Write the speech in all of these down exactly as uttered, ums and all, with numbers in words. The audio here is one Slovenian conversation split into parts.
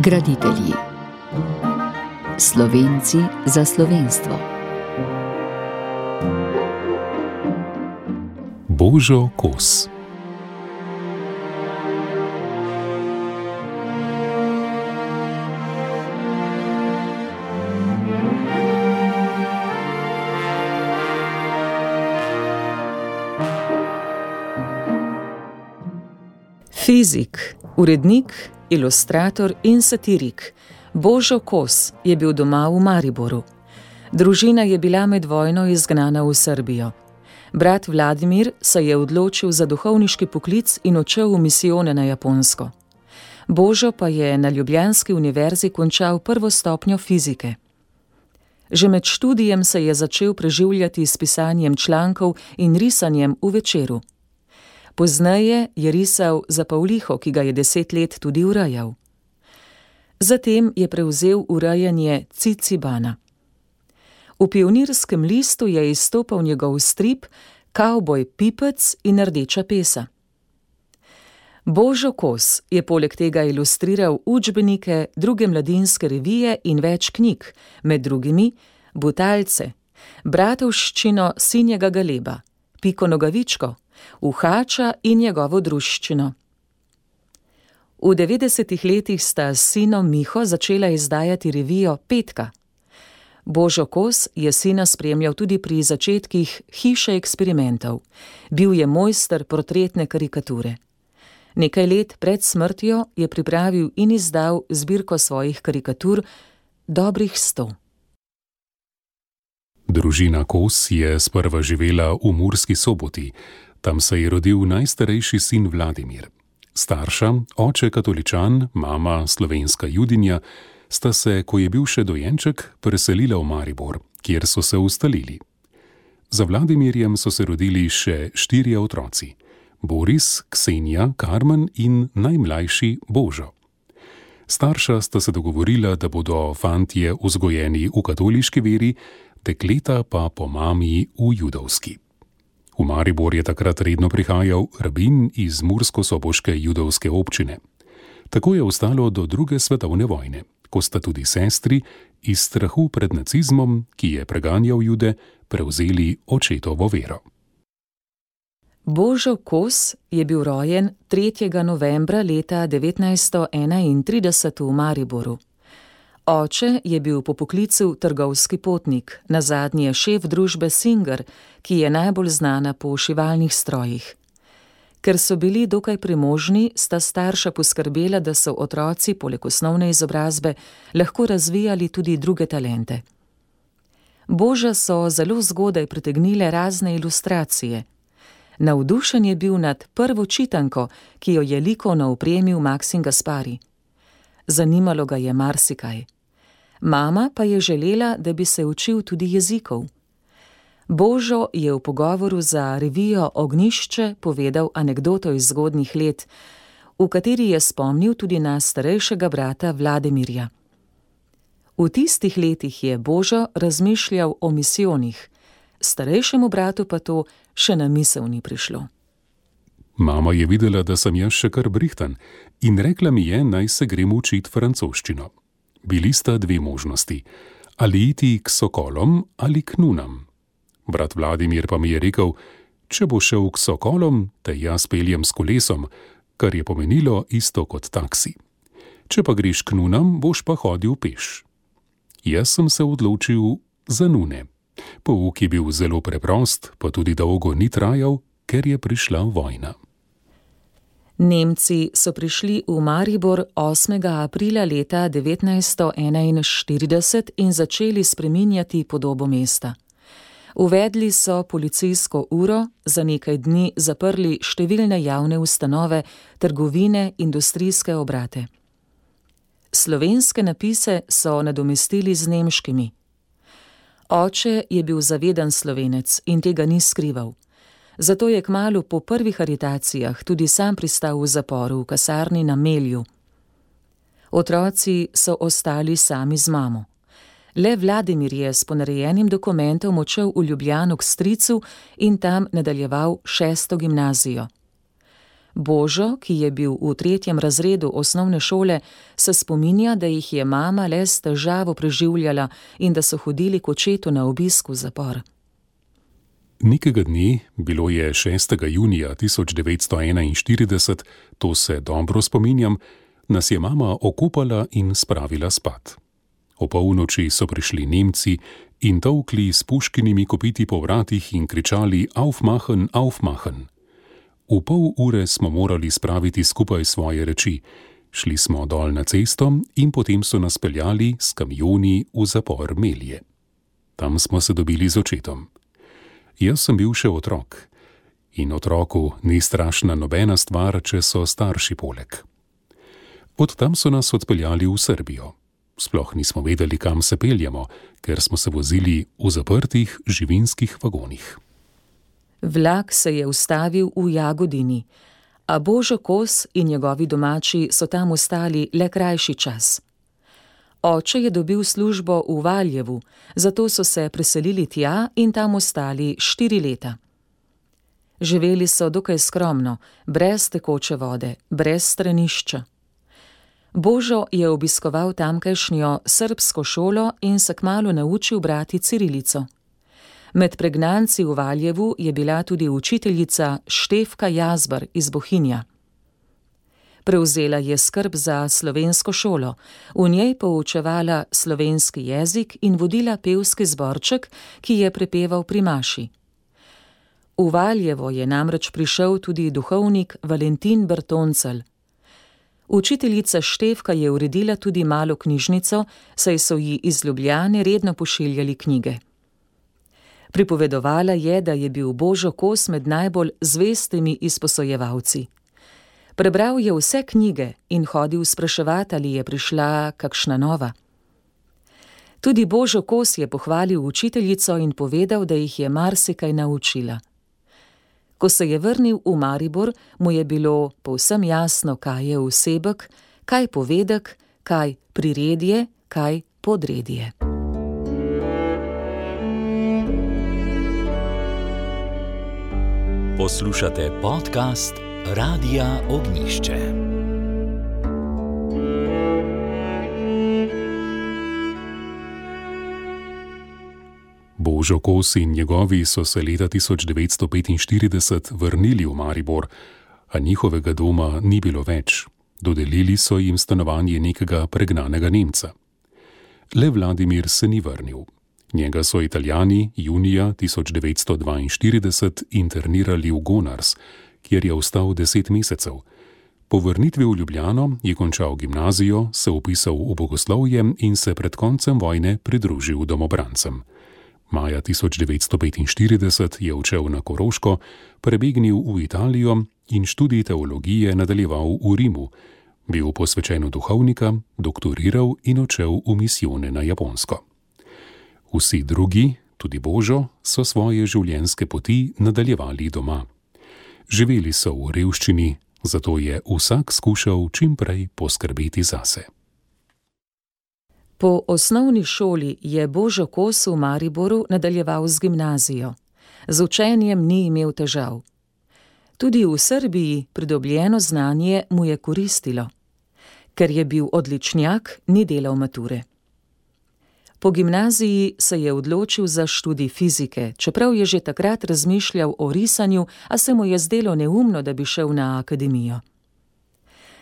Graditelji. Slovenci za slovenstvo. Božo Kos. Fizik, urednik, ilustrator in satirik Božo Kos je bil doma v Mariboru. Družina je bila med vojno izgnana v Srbijo. Brat Vladimir se je odločil za duhovniški poklic in odšel v misijone na Japonsko. Božo pa je na ljubljanski univerzi končal prvo stopnjo fizike. Že med študijem se je začel preživljati s pisanjem člankov in risanjem v Večeru. Pozneje je risal za Pavliho, ki ga je deset let tudi urejal. Zatem je prevzel urejanje Cicibana. V Pionirskem listu je izstopal njegov strip Kavboj Pipec in Rdeča pesa. Božo Kos je poleg tega ilustriral učbenike, druge mladinske revije in več knjig, med drugimi Butalce, Bratovščino Sinjega Galeba, Piko Nogavičko, Uhača in njegovo druščino. V devetdesetih letih sta s sinom Miho začela izdajati revijo Petka. Božo Kos je sina spremljal tudi pri začetkih Hiše eksperimentov. Bil je mojster portretne karikature. Nekaj let pred smrtjo je pripravil in izdal zbirko svojih karikatur, dobrih sto. Družina Kos je sprva živela v Murski Soboti. Tam se je rodil najstarejši sin Vladimir. Starša, oče katoličan, mama slovenska judinja, sta se, ko je bil še dojenček, preselila v Maribor, kjer so se ustalili. Za Vladimirjem so se rodili še štirje otroci: Boris, Ksenija, Karmen in najmlajši Božo. Starša sta se dogovorila, da bodo fantje vzgojeni v katoliški veri, dekleta pa po mami v judovski. V Maribor je takrat redno prihajal rabin iz mursko-soboške judovske občine. Tako je ostalo do druge svetovne vojne, ko sta tudi sestri iz strahu pred nacizmom, ki je preganjal Jude, prevzeli očetovo vero. Božo Kos je bil rojen tretjega novembra leta devetnajststo enaintrideset v Mariboru. Oče je bil po poklicu trgovski potnik, nazadnje šef družbe Singer, ki je najbolj znana po šivalnih strojih. Ker so bili dokaj premožni, sta starša poskrbela, da so otroci poleg osnovne izobrazbe lahko razvijali tudi druge talente. Boža so zelo zgodaj pritegnile razne ilustracije. Navdušen je bil nad prvo čitanko, ki jo je likovno opremil Maksim Gaspari. Zanimalo ga je marsikaj. Mama pa je želela, da bi se učil tudi jezikov. Božo je v pogovoru za revijo Ognjišče povedal anekdoto iz zgodnjih let, v kateri je spomnil tudi na starejšega brata Vladimirja. V tistih letih je Božo razmišljal o misijonih, starejšemu bratu pa to še na misel ni prišlo. Mama je videla, da sem jaz še kar brihtan, in rekla mi je, naj se grem učit francoščino. Bili sta dve možnosti, ali iti k sokolom ali k nunam. Brat Vladimir pa mi je rekel, če bo šel k sokolom, te jaz peljem s kolesom, kar je pomenilo isto kot taksi. Če pa greš k nunam, boš pa hodil peš. Jaz sem se odločil za nune. Pouk je bil zelo preprost, pa tudi dolgo ni trajal, ker je prišla vojna. Nemci so prišli v Maribor osmega aprila leta devetnajststo enainštirideset in začeli spreminjati podobo mesta. Uvedli so policijsko uro, za nekaj dni zaprli številne javne ustanove, trgovine, industrijske obrate. Slovenske napise so nadomestili z nemškimi. Oče je bil zaveden Slovenec in tega ni skrival. Zato je kmalu po prvih aretacijah tudi sam pristal v zaporu v kasarni na Melju. Otroci so ostali sami z mamo. Le Vladimir je s ponarejenim dokumentom odšel v Ljubljano k stricu in tam nadaljeval šesto gimnazijo. Božo, ki je bil v tretjem razredu osnovne šole, se spominja, da jih je mama le s težavo preživljala in da so hodili k očetu na obisk v zapor. Nekega dne, bilo je šestega junija tisoč devetsto enainštirideset, to se dobro spominjam, nas je mama okopala in spravila spat. O polnoči so prišli Nemci in tolkli s puškinimi kopiti po vratih in kričali Aufmachen, Aufmachen. V pol ure smo morali spraviti skupaj svoje reči. Šli smo dol na cesto in potem so nas peljali s kamioni v zapor Melje. Tam smo se dobili z očetom. Jaz sem bil še otrok. In otroku ni strašna nobena stvar, če so starši poleg. Od tam so nas odpeljali v Srbijo. Sploh nismo vedeli, kam se peljemo, ker smo se vozili v zaprtih živinskih vagonih. Vlak se je ustavil v Jagodini, a Božo Kos in njegovi domači so tam ostali le krajši čas. Oče je dobil službo v Valjevu, zato so se preselili tja in tam ostali štiri leta. Živeli so dokaj skromno, brez tekoče vode, brez stranišča. Božo je obiskoval tamkajšnjo srbsko šolo in se kmalu naučil brati cirilico. Med pregnanci v Valjevu je bila tudi učiteljica Štefka Jazbar iz Bohinja. Prevzela je skrb za slovensko šolo, v njej poučevala slovenski jezik in vodila pevski zborček, ki je prepeval pri maši. V Valjevo je namreč prišel tudi duhovnik Valentin Bertoncelj. Učiteljica Štefka je uredila tudi malo knjižnico, saj so ji iz Ljubljane redno pošiljali knjige. Pripovedovala je, da je bil Božo Kos med najbolj zvestimi izposojevalci. Prebral je vse knjige in hodil spraševati, ali je prišla kakšna nova. Tudi Božo Kos je pohvalil učiteljico in povedal, da jih je marsikaj naučila. Ko se je vrnil v Maribor, mu je bilo povsem jasno, kaj je vsebek, kaj povedek, kaj priredje, kaj podredje. Poslušate podcast Radia Ognjišče. Božo Kos in njegovi so se leta tisoč devetsto petinštirideset vrnili v Maribor, a njihovega doma ni bilo več. Dodelili so jim stanovanje nekega pregnanega Nemca. Le Vladimir se ni vrnil. Njega so Italijani junija tisoč devetsto dvainštirideset internirali v Gonars, kjer je ostal deset mesecev. Po vrnitvi v Ljubljano je končal gimnazijo, se vpisal v bogoslovje in se pred koncem vojne pridružil domobrancem. Maja tisoč devetsto petinštirideset je odšel na Koroško, prebegnil v Italijo in študij teologije nadaljeval v Rimu, bil posvečen v duhovnika, doktoriral in odšel v misijone na Japonsko. Vsi drugi, tudi Božo, so svoje življenjske poti nadaljevali doma. Živeli so v revščini, zato je vsak skušal čim prej poskrbeti zase. Po osnovni šoli je Božo Kos v Mariboru nadaljeval z gimnazijo. Z učenjem ni imel težav. Tudi v Srbiji pridobljeno znanje mu je koristilo. Ker je bil odličnjak, ni delal mature. Po gimnaziji se je odločil za študij fizike, čeprav je že takrat razmišljal o risanju, a se mu je zdelo neumno, da bi šel na akademijo.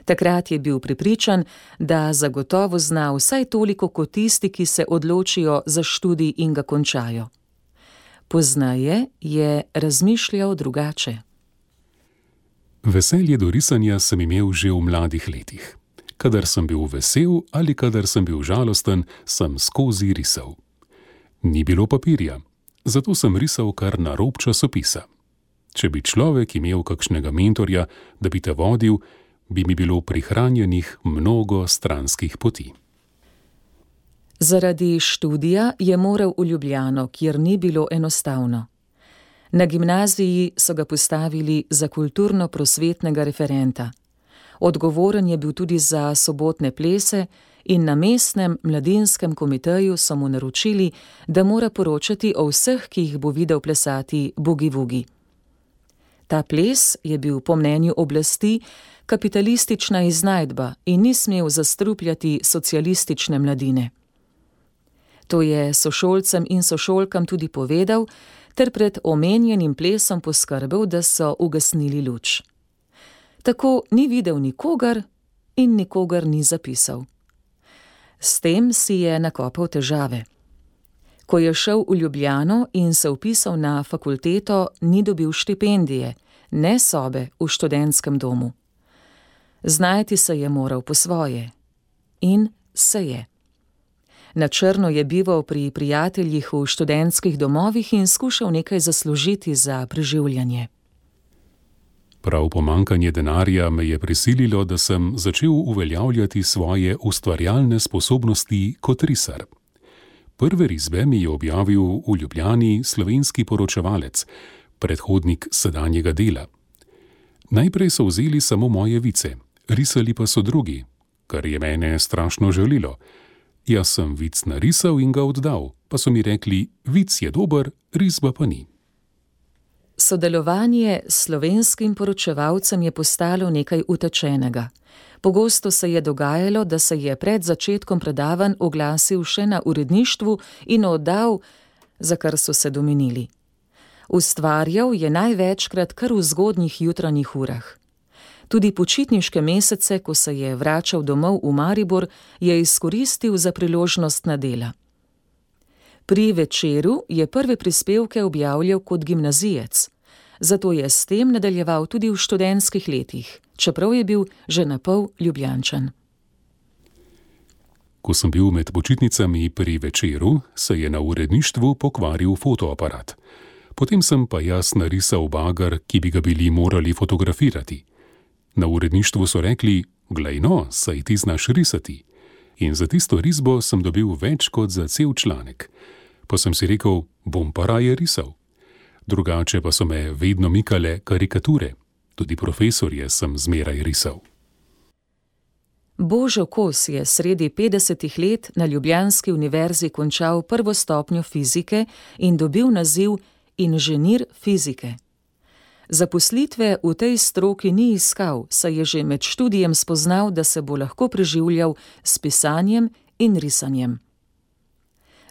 Takrat je bil prepričan, da zagotovo zna vsaj toliko kot tisti, ki se odločijo za študij in ga končajo. Pozneje je razmišljal drugače. Veselje do risanja sem imel že v mladih letih. Kadar sem bil vesel ali kadar sem bil žalosten, sem skozi risal. Ni bilo papirja, zato sem risal kar na rob časopisa. Če bi človek imel kakšnega mentorja, da bi te vodil, bi mi bilo prihranjenih mnogo stranskih poti. Zaradi študija je moral v Ljubljano, kjer ni bilo enostavno. Na gimnaziji so ga postavili za kulturno-prosvetnega referenta. Odgovoren je bil tudi za sobotne plese in na mestnem mladinskem komiteju so mu naročili, da mora poročati o vseh, ki jih bo videl plesati bugi-vugi. Ta ples je bil po mnenju oblasti kapitalistična iznajdba in ni smel zastrupljati socialistične mladine. To je sošolcem in sošolkam tudi povedal, ter pred omenjenim plesom poskrbel, da so ugasnili luč. Tako ni videl nikogar in nikogar ni zapisal. S tem si je nakopal težave. Ko je šel v Ljubljano in se vpisal na fakulteto, ni dobil štipendije, ne sobe v študentskem domu. Znajti se je moral po svoje. In se je. Na črno je bival pri prijateljih v študentskih domovih in skušal nekaj zaslužiti za preživljanje. Prav pomanjkanje denarja me je prisililo, da sem začel uveljavljati svoje ustvarjalne sposobnosti kot risar. Prve risbe mi je objavil v Ljubljani slovenski poročevalec, predhodnik sedanjega Dela. Najprej so vzeli samo moje vice, risali pa so drugi, kar je mene strašno žalilo. Jaz sem vic narisal in ga oddal, pa so mi rekli, vic je dober, risba pa ni. Sodelovanje s slovenskim poročevalcem je postalo nekaj utečenega. Pogosto se je dogajalo, da se je pred začetkom predavanj oglasil še na uredništvu in oddal, za kar so se domenili. Ustvarjal je največkrat kar v zgodnjih jutranjih urah. Tudi počitniške mesece, ko se je vračal domov v Maribor, je izkoristil za priložnost na dela. Pri Večeru je prve prispevke objavljal kot gimnazijec, zato je s tem nadaljeval tudi v študentskih letih, čeprav je bil že napol Ljubljančan. Ko sem bil med počitnicami pri Večeru, se je na uredništvu pokvaril fotoaparat. Potem sem pa jaz narisal bager, ki bi ga bili morali fotografirati. Na uredništvu so rekli, glej no, saj ti znaš risati. In za tisto risbo sem dobil več kot za cel članek. Pa sem si rekel, bom pa raje risal. Drugače pa so me vedno mikale karikature. Tudi profesorje sem zmeraj risal. Božo Kos je sredi petdesetih let na ljubljanski univerzi končal prvo stopnjo fizike in dobil naziv inženir fizike. Zaposlitve v tej stroki ni iskal, saj je že med študijem spoznal, da se bo lahko preživljal s pisanjem in risanjem.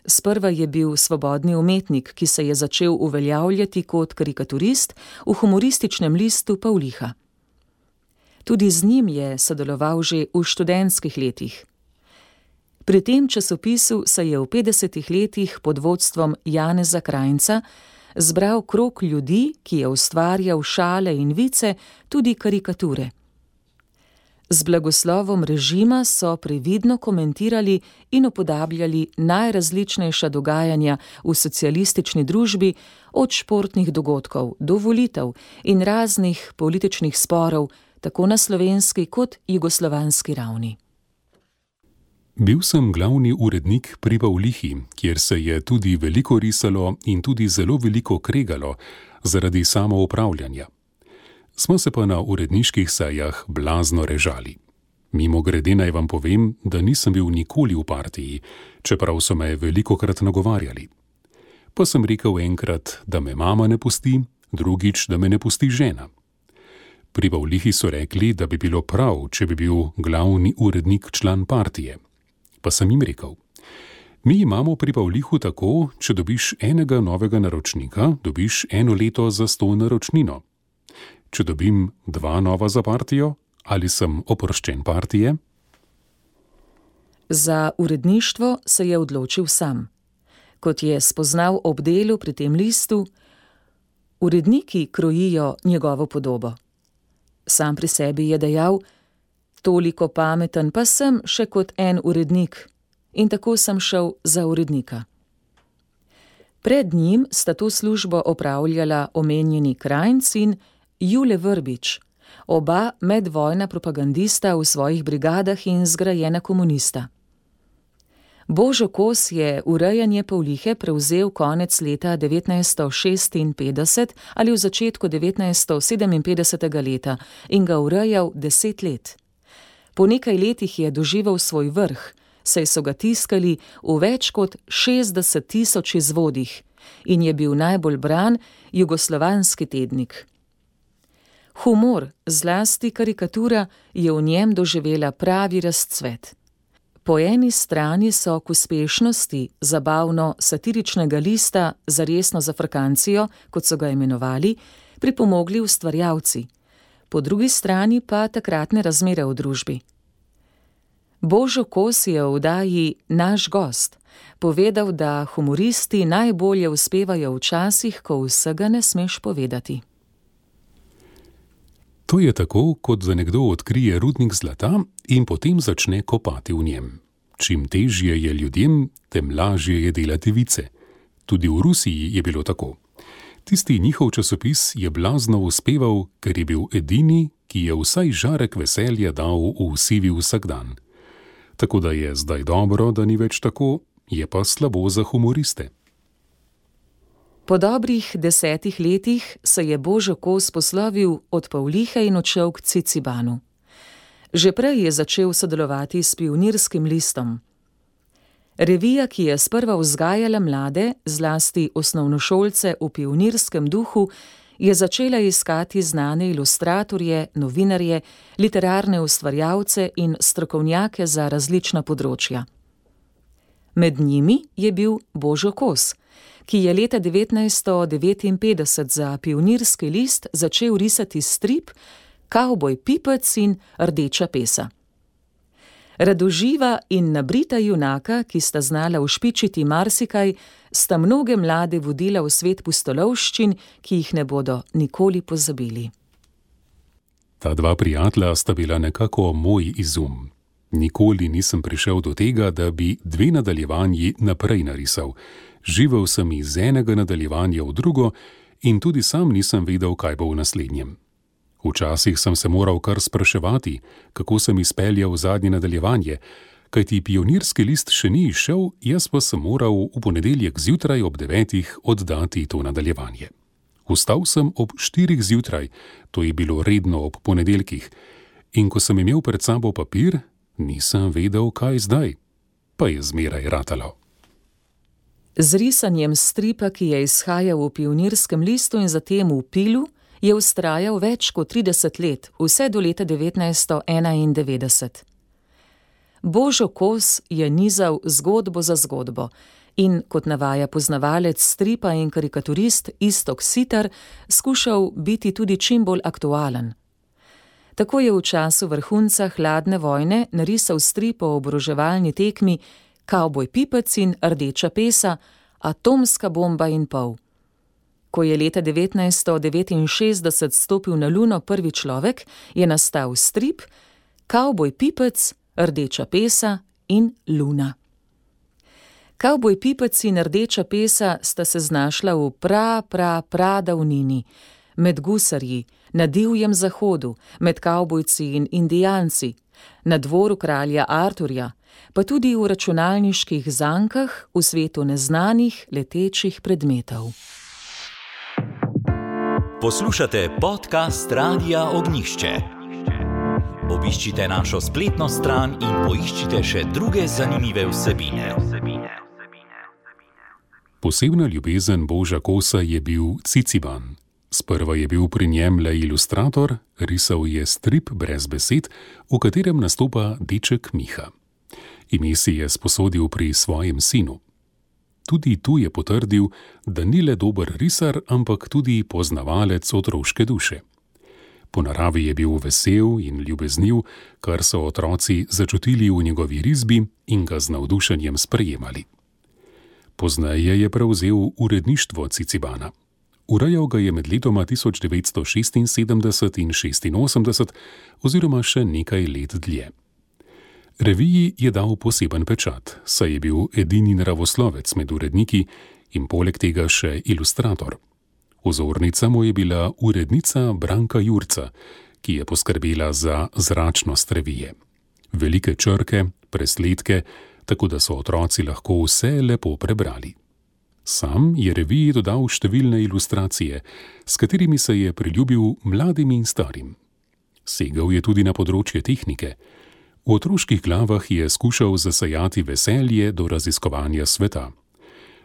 Sprva je bil svobodni umetnik, ki se je začel uveljavljati kot karikaturist v humorističnem listu Pavliha. Tudi z njim je sodeloval že v študentskih letih. Pri tem časopisu se je v petdesetih letih pod vodstvom Janeza Krajnca zbral krog ljudi, ki je ustvarjal šale in vice, tudi karikature. Z blagoslovom režima so previdno komentirali in upodabljali najrazličnejša dogajanja v socialistični družbi, od športnih dogodkov do volitev in raznih političnih sporov, tako na slovenski kot jugoslovanski ravni. Bil sem glavni urednik pri Pavlihi, kjer se je tudi veliko risalo in tudi zelo veliko kregalo zaradi samoupravljanja. Smo se pa na uredniških sejah blazno režali. Mimogrede naj vam povem, da nisem bil nikoli v partiji, čeprav so me velikokrat nagovarjali. Pa sem rekel enkrat, da me mama ne pusti, drugič, da me ne pusti žena. Pri Pavlihi so rekli, da bi bilo prav, če bi bil glavni urednik član partije. Pa sem jim rekel, mi imamo pri Pavlihu tako, če dobiš enega novega naročnika, dobiš eno leto za sto naročnino. Če dobim dva nova za partijo, ali sem oproščen partije? Za uredništvo se je odločil sam. Kot je spoznal ob delu pri tem listu, uredniki krojijo njegovo podobo. Sam pri sebi je dejal, toliko pameten pa sem še kot en urednik, in tako sem šel za urednika. Pred njim sta to službo opravljala omenjeni Krajnc in Jule Vrbič, oba medvojna propagandista v svojih brigadah in zgrajena komunista. Božo Kos je urejanje Pavlihe prevzel konec leta devetnajststo šestinpetdeset ali v začetku devetnajststo sedeminpetdesetega leta in ga urejal deset let. Po nekaj letih je doživel svoj vrh, saj so ga tiskali v več kot šestdeset tisoč izvodih in je bil najbolj bran jugoslovanski tednik. Humor, zlasti karikatura, je v njem doživela pravi razcvet. Po eni strani so k uspešnosti zabavno-satiričnega lista za resno zafrkancijo, kot so ga imenovali, pripomogli ustvarjalci, po drugi strani pa takratne razmere v družbi. Božo Kos je v oddaji Naš gost povedal, da humoristi najbolje uspevajo včasih, ko vsega ne smeš povedati. To je tako, kot da nekdo odkrije rudnik zlata in potem začne kopati v njem. Čim težje je ljudem, tem lažje je delati vice. Tudi v Rusiji je bilo tako. Tisti njihov časopis je blazno uspeval, ker je bil edini, ki je vsaj žarek veselja dal v sivi vsakdan. Tako da je zdaj dobro, da ni več tako, je pa slabo za humoriste. Po dobrih desetih letih se je Božo Kos poslovil od Pavlihe in odšel k Cicibanu. Že prej je začel sodelovati s Pionirskim listom. Revija, ki je sprva vzgajala mlade, zlasti osnovnošolce v pionirskem duhu, je začela iskati znane ilustratorje, novinarje, literarne ustvarjalce in strokovnjake za različna področja. Med njimi je bil Božo Kos, ki je leta devetnajststo devetinpetdeset za Pionirski list začel risati strip Kavboj Pipec in Rdeča pesa. Radoživa in nabrita junaka, ki sta znala ušpičiti marsikaj, sta mnoge mlade vodila v svet pustolovščin, ki jih ne bodo nikoli pozabili. Ta dva prijatelja sta bila nekako moj izum. Nikoli nisem prišel do tega, da bi dve nadaljevanji naprej narisal. Živel sem iz enega nadaljevanja v drugo in tudi sam nisem vedel, kaj bo v naslednjem. Včasih sem se moral kar spraševati, kako sem izpeljal zadnje nadaljevanje, kajti Pionirski list še ni izšel, jaz pa sem moral v ponedeljek zjutraj ob devetih oddati to nadaljevanje. Vstal sem ob štirih zjutraj, to je bilo redno ob ponedeljkih, in ko sem imel pred sabo papir, nisem vedel, kaj zdaj, pa je zmeraj ratalo. Z risanjem stripa, ki je izhajal v Pionirskem listu in zatem v Pilu, je vztrajal več kot trideset let, vse do leta devetnajststo enaindevetdeset. Božo Kos je nizal zgodbo za zgodbo in, kot navaja poznavalec stripa in karikaturist Iztok Sitar, skušal biti tudi čim bolj aktualen. Tako je v času vrhunca hladne vojne narisal strip o oboroževalni tekmi Kavboj Pipec in Rdeča pesa, atomska bomba in pol. Ko je leta devetnajststo devetinšestdeset stopil na Luno prvi človek, je nastal strip Kavboj Pipec, Rdeča pesa in Luna. Kavboj Pipec in Rdeča pesa sta se znašla v pra, pra, pra davnini, med gusarji, na divjem zahodu, med kavbojci in indijanci, na dvoru kralja Arturja, pa tudi v računalniških zankah v svetu neznanih letečih predmetov. Poslušate podcast Radia Ognjišče. Obiščite našo spletno stran in poiščite še druge zanimive vsebine. Posebna ljubezen Boža Kosa je bil Ciciban. Sprva je bil pri njem le ilustrator, risal je strip brez besed, v katerem nastopa deček Miha. Ime si je sposodil pri svojem sinu. Tudi tu je potrdil, da ni le dober risar, ampak tudi poznavalec otroške duše. Po naravi je bil vesel in ljubezniv, kar so otroci začutili v njegovi risbi in ga z navdušenjem sprejemali. Pozneje je prevzel uredništvo Cicibana. Urejal ga je med letoma tisoč devetsto šestinsedemdeset in šestinosemdeset oziroma še nekaj let dlje. Reviji je dal poseben pečat, saj je bil edini naravoslovec med uredniki in poleg tega še ilustrator. Vzornica mu je bila urednica Branka Jurca, ki je poskrbela za zračnost revije. Velike črke, presledke, tako da so otroci lahko vse lepo prebrali. Sam je reviji dodal številne ilustracije, s katerimi se je priljubil mladim in starim. Segal je tudi na področje tehnike. V otroških glavah je skušal zasajati veselje do raziskovanja sveta.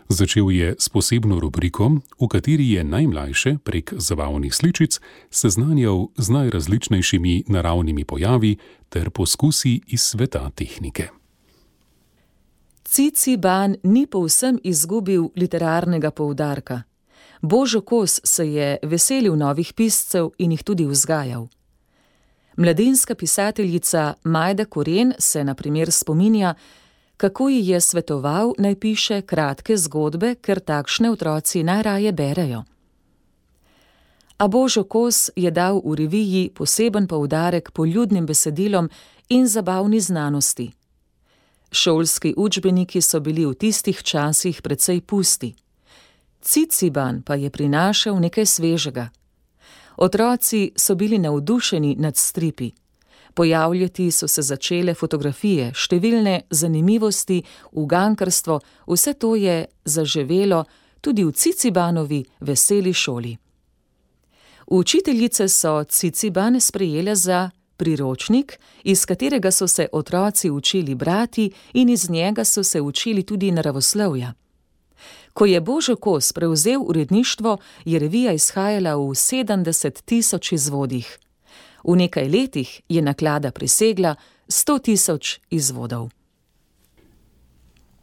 Začel je s posebno rubriko, v kateri je najmlajše prek zabavnih sličic seznanjal z najrazličnejšimi naravnimi pojavi ter poskusi iz sveta tehnike. Ciciban ni povsem izgubil literarnega poudarka. Božo Kos se je veselil novih piscev in jih tudi vzgajal. Mladinska pisateljica Majda Koren se na primer spominja, kako ji je svetoval, naj piše kratke zgodbe, ker takšne otroci najraje berejo. A Božo Kos je dal v reviji poseben poudarek poljudnim besedilom in zabavni znanosti. Šolski učbeniki so bili v tistih časih precej pusti. Ciciban pa je prinašal nekaj svežega. Otroci so bili navdušeni nad stripi. Pojavljati so se začele fotografije, številne zanimivosti, ugankarstvo, vse to je zaživelo tudi v Cicibanovi veseli šoli. Učiteljice so Ciciban sprejele za priročnik, iz katerega so se otroci učili brati in iz njega so se učili tudi naravoslovja. Ko je Božo Kos prevzel uredništvo, je revija izhajala v sedemdeset tisoč izvodih. V nekaj letih je naklada presegla sto tisoč izvodov.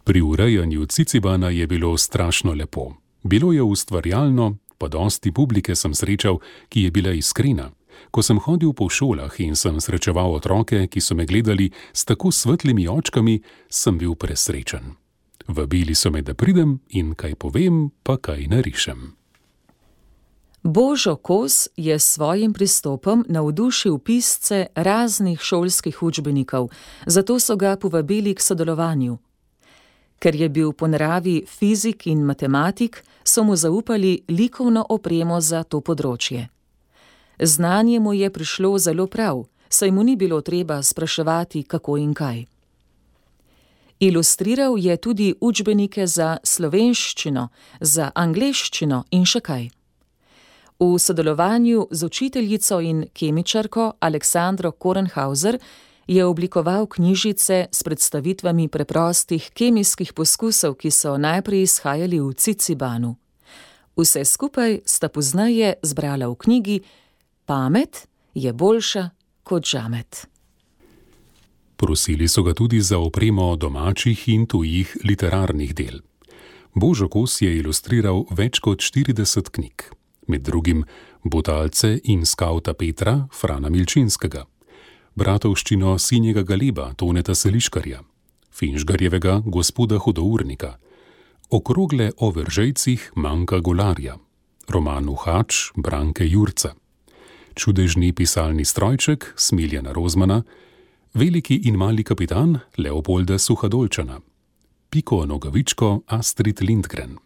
Pri urejanju Cicibana je bilo strašno lepo. Bilo je ustvarjalno, pa dosti publike sem srečal, ki je bila iskrena. Ko sem hodil po šolah in sem srečeval otroke, ki so me gledali s tako svetlimi očkami, sem bil presrečen. Vabili so me, da pridem in kaj povem, pa kaj narišem. Božo Kos je s svojim pristopom navdušil pisce raznih šolskih učbenikov, zato so ga povabili k sodelovanju. Ker je bil po naravi fizik in matematik, so mu zaupali likovno opremo za to področje. Znanje mu je prišlo zelo prav, saj mu ni bilo treba spraševati, kako in kaj. Ilustriral je tudi učbenike za slovenščino, za angleščino in še kaj. V sodelovanju z učiteljico in kemičarko Aleksandro Korenhauser je oblikoval knjižice s predstavitvami preprostih kemijskih poskusov, ki so najprej izhajali v Cicibanu. Vse skupaj sta pozneje zbrala v knjigi Pamet je boljša kot žamet. Prosili so ga tudi za opremo domačih in tujih literarnih del. Božo Kos je ilustriral več kot štirideset knjig, med drugim Butalce in skavta Petra Frana Milčinskega, Bratovščino Sinjega Galeba Toneta Seliškarja, Finžgarjevega Gospoda Hudournika, Okrogle o veržejcih Manka Golarja, roman Uhač Branke Jurca, Čudežni pisalni strojček Smiljana Rozmana, Veliki in mali kapitan Leopolda Suhadolčana, Piko Nogavičko Astrid Lindgren.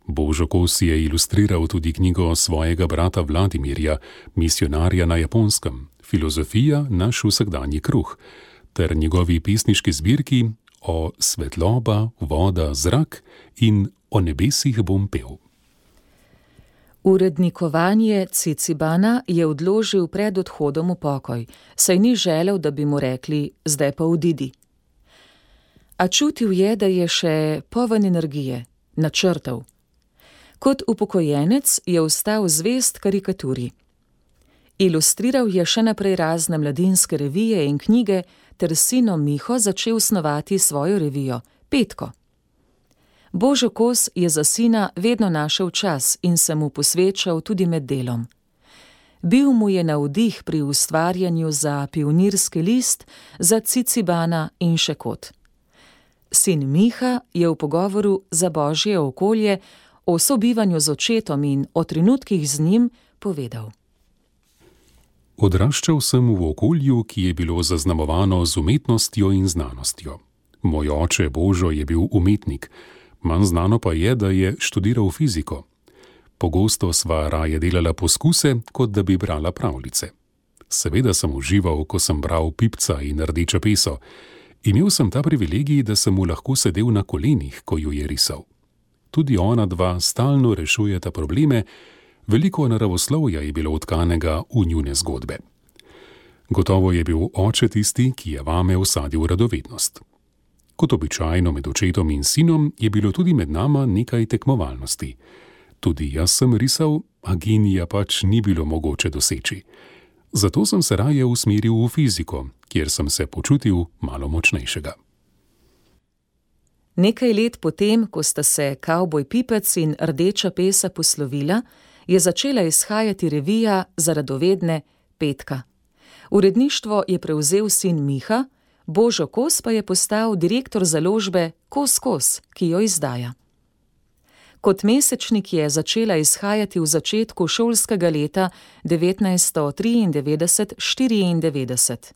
Božo Kos je ilustriral tudi knjigo svojega brata Vladimirja, Misionarja na Japonskem, Filozofija naš vsakdanji kruh, ter njegovi pesniški zbirki O svetloba, voda, zrak in O nebesih bom pel. Urednikovanje Cicibana je odložil pred odhodom v pokoj, saj ni želel, da bi mu rekli, zdaj pa odidi. A čutil je, da je še poln energije, načrtov. Kot upokojenec je ostal zvest karikaturi. Ilustriral je še naprej razne mladinske revije in knjige ter s sinom Miho začel snovati svojo revijo, Petko. Božo Kos je za sina vedno našel čas in se mu posvečal tudi med delom. Bil mu je navdih pri ustvarjanju za Pionirski list, za Cicibana in še kot. Sin Miha je v pogovoru za Božje okolje o sobivanju z očetom in o trenutkih z njim povedal. Odraščal sem v okolju, ki je bilo zaznamovano z umetnostjo in znanostjo. Moj oče Božo je bil umetnik, manj znano pa je, da je študiral fiziko. Pogosto sva raje delala poskuse, kot da bi brala pravljice. Seveda sem užival, ko sem bral Pipca in Rdečo peso. Imel sem ta privilegij, da sem mu lahko sedel na kolenih, ko jo je risal. Tudi ona dva stalno rešujeta probleme, veliko naravoslovja je bilo utkanega v njune zgodbe. Gotovo je bil oče tisti, ki je vame vsadil radovednost. Kot običajno med očetom in sinom je bilo tudi med nama nekaj tekmovalnosti. Tudi jaz sem risal, a genija pač ni bilo mogoče doseči. Zato sem se raje usmeril v fiziko, kjer sem se počutil malo močnejšega. Nekaj let potem, ko sta se Kavboj Pipec in Rdeča pesa poslovila, je začela izhajati revija za radovedne Petka. Uredništvo je prevzel sin Miha, Božo Kos pa je postal direktor založbe Kos Kos, ki jo izdaja. Kot mesečnik je začela izhajati v začetku šolskega leta devetnajststo triindevetdeset štiriindevetdeset.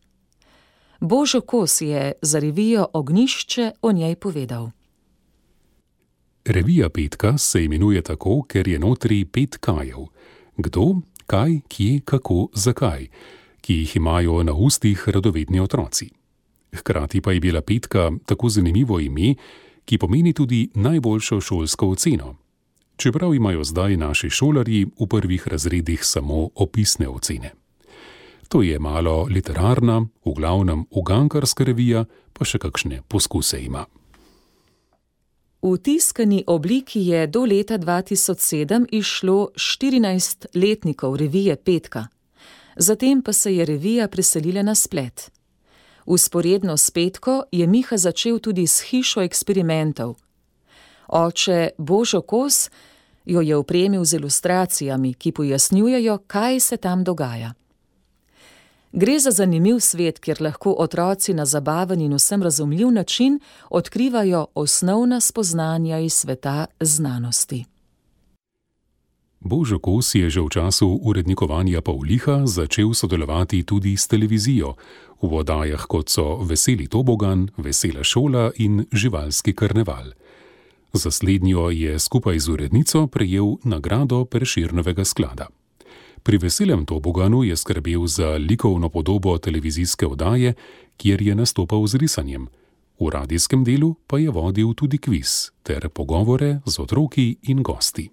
Božo Kos je za revijo Ognjišče o njej povedal. Revija Petka se imenuje tako, ker je notri pet kajev. Kdo, kaj, kje, kako, zakaj, ki jih imajo na ustih radovedni otroci. Hkrati pa je bila Petka tako zanimivo ime, ki pomeni tudi najboljšo šolsko oceno. Čeprav imajo zdaj naši šolarji v prvih razredih samo opisne ocene. To je malo literarna, v glavnem ugankarska revija, pa še kakšne poskuse ima. V tiskani obliki je do leta dva tisoč sedem izšlo štirinajst letnikov revije Petka. Zatem pa se je revija preselila na splet. Vzporedno s Petko je Miha začel tudi s hišo eksperimentov. Oče Božo Kos jo je opremil z ilustracijami, ki pojasnjujejo, kaj se tam dogaja. Gre za zanimiv svet, kjer lahko otroci na zabaven in vsem razumljiv način odkrivajo osnovna spoznanja iz sveta znanosti. Božo Kos je že v času urednikovanja Pavliha začel sodelovati tudi s televizijo, v oddajah kot so Veseli tobogan, Vesela šola in Živalski karneval. Za slednjo je skupaj z urednico prejel nagrado Prešernovega sklada. Pri Veselem toboganu je skrbel za likovno podobo televizijske oddaje, kjer je nastopal z risanjem. V radijskem delu pa je vodil tudi kviz ter pogovore z otroki in gosti.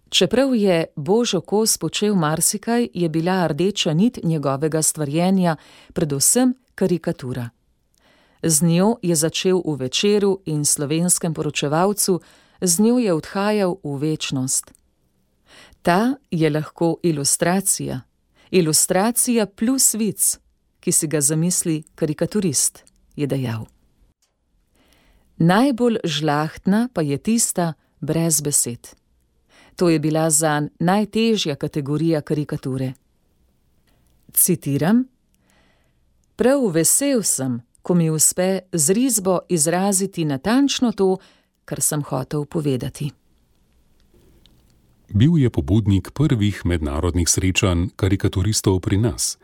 Čeprav je Božo Kos počel marsikaj, je bila rdeča nit njegovega stvarjenja predvsem karikatura. Z njo je začel v Večeru in Slovenskem poročevalcu, z njo je odhajal v večnost. Ta je lahko ilustracija, ilustracija plus vic, ki si ga zamisli karikaturist, je dejal. Najbolj žlahtna pa je tista brez besed. To je bila zanj najtežja kategorija karikature. Citiram: Prav vesel sem, ko mi uspe z risbo izraziti natančno to, kar sem hotel povedati. Bil je pobudnik prvih mednarodnih srečanj karikaturistov pri nas.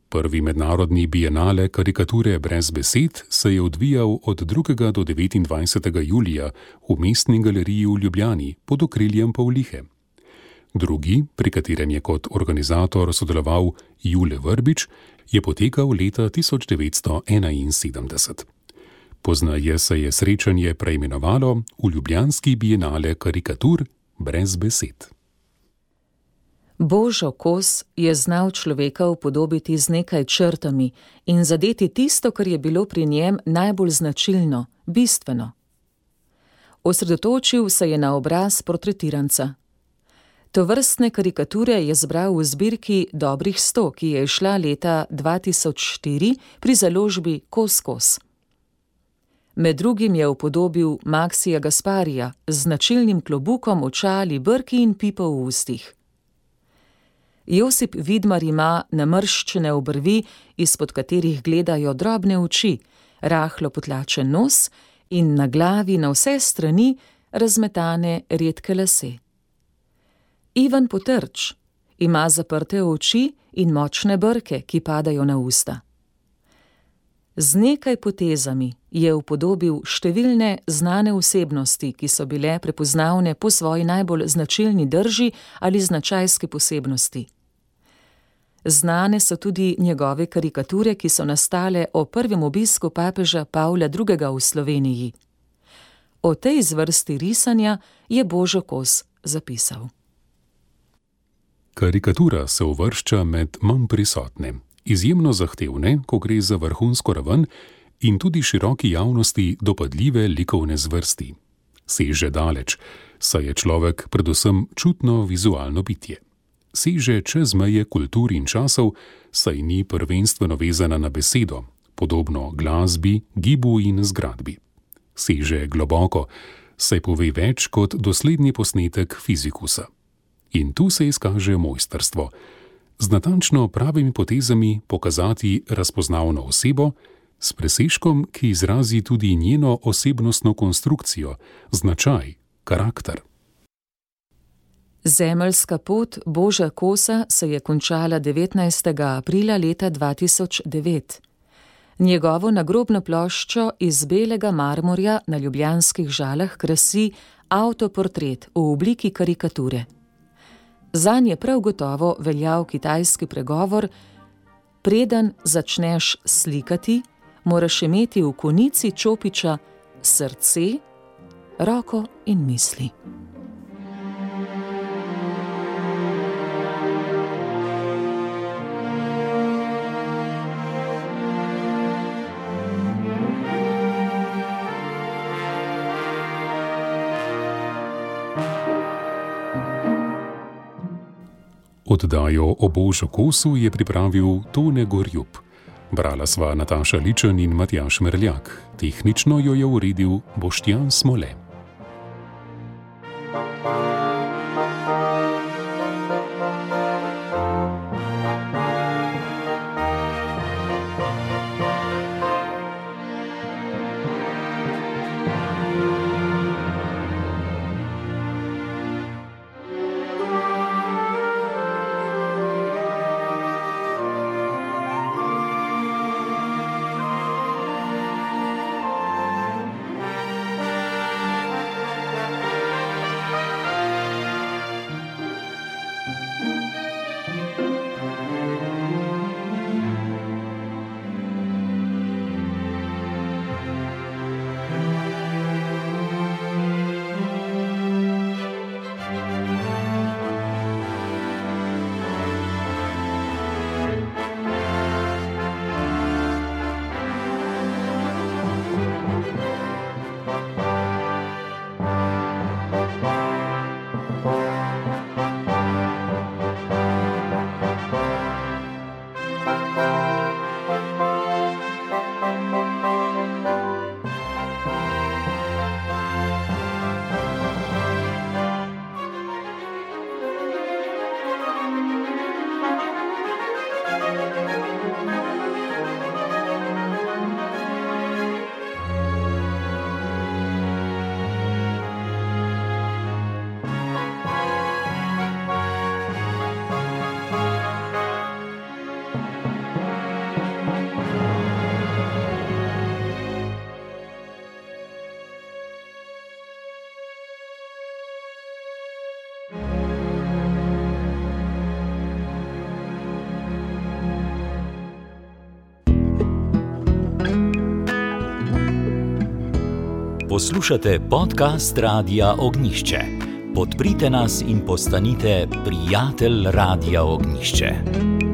Prvi mednarodni bienale karikature brez besed se je odvijal od drugega do devetindvajsetega julija v Mestni galeriji v Ljubljani pod okriljem Pavlihe. Drugi, pri katerem je kot organizator sodeloval Jule Vrbič, je potekal leta tisoč devetsto enainsedemdeset. Poznaje se je srečanje preimenovalo v Ljubljanski bienale karikatur brez besed. Božo Kos je znal človeka upodobiti z nekaj črtami in zadeti tisto, kar je bilo pri njem najbolj značilno, bistveno. Osredotočil se je na obraz portretiranca. Tovrstne karikature je zbral v zbirki Dobrih sto, ki je izšla leta dva tisoč štiri pri založbi Kos Kos. Med drugim je upodobil Maksija Gasparija z značilnim klobukom, očali, brki in pipo v ustih. Josip Vidmar ima namrščene obrvi, izpod katerih gledajo drobne oči, rahlo potlačen nos in na glavi na vse strani razmetane redke lase. Ivan Potrč ima zaprte oči in močne brke, ki padajo na usta. Z nekaj potezami je upodobil številne znane osebnosti, ki so bile prepoznavne po svoji najbolj značilni drži ali značajski posebnosti. Znane so tudi njegove karikature, ki so nastale o prvem obisku papeža Pavla drugega v Sloveniji. O tej zvrsti risanja je Božo Kos zapisal. Karikatura se uvršča med manj prisotne, izjemno zahtevne, ko gre za vrhunsko raven, in tudi široki javnosti dopadljive likovne zvrsti. Seže daleč, saj je človek predvsem čutno vizualno bitje. Seže čez meje kultur in časov, saj ni prvenstveno vezana na besedo, podobno glasbi, gibu in zgradbi. Seže globoko, saj pove več kot dosledni posnetek fizikusa. In tu se izkaže mojstrstvo. Z natančno pravimi potezami pokazati razpoznavno osebo, s presežkom, ki izrazi tudi njeno osebnostno konstrukcijo, značaj, karakter. Zemeljska pot Boža Kosa se je končala devetnajstega aprila leta dva tisoč devet. Njegovo nagrobno ploščo iz belega marmorja na ljubljanskih Žalah krasi avtoportret v obliki karikature. Zanj je prav gotovo veljal kitajski pregovor: preden začneš slikati, moraš imeti v konici čopiča srce, roko in misli. Oddajo o Božu Kosu je pripravil Tone Gorjup. Brala sva Nataša Ličen in Matjaž Merljak. Tehnično jo je uredil Boštjan Smole. Poslušate podcast Radia Ognjišče. Podprite nas in postanite prijatelj Radia Ognjišče.